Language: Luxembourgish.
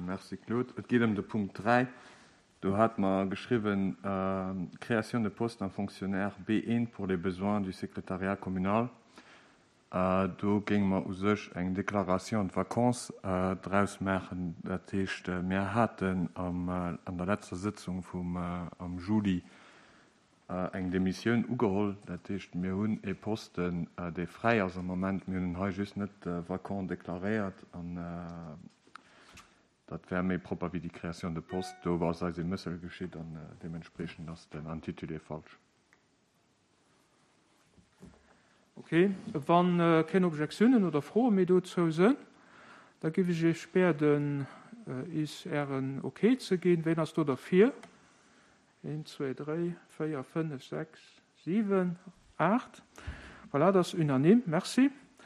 Merci Claude. Et geet ëm de Punkt 3. Do hate mer geschriwwen, Création de postes d'un fonctionnaire B1 pour les besoins du secrétariat communal. Do géinge mer u sech eng Déclaration de vacances draus maachen. Dat heescht, mir haten an der letzter Sëtzung vum am Juli eng Demissioun ugeholl. Dat heescht, mir hunn e Posten, dee fräi ass am Moment. Mir hunn en hei just net vacant deklaréiert. An dat wär méi propper wéi déi Création de poste. Do ass eis e Mëssel geschitt an deementspreechend ass den Intitulé falsch. Ok, wa keng Objektiounen oder Froe méi dozou sënn, da giff ech Iech bäerden, is Ären Ok ze ginn. Ween ass do derfir? Een, zwee, dréi, véier, fënnef, sechs, siwen, aacht. Voilà, dat ass unanime. Merci.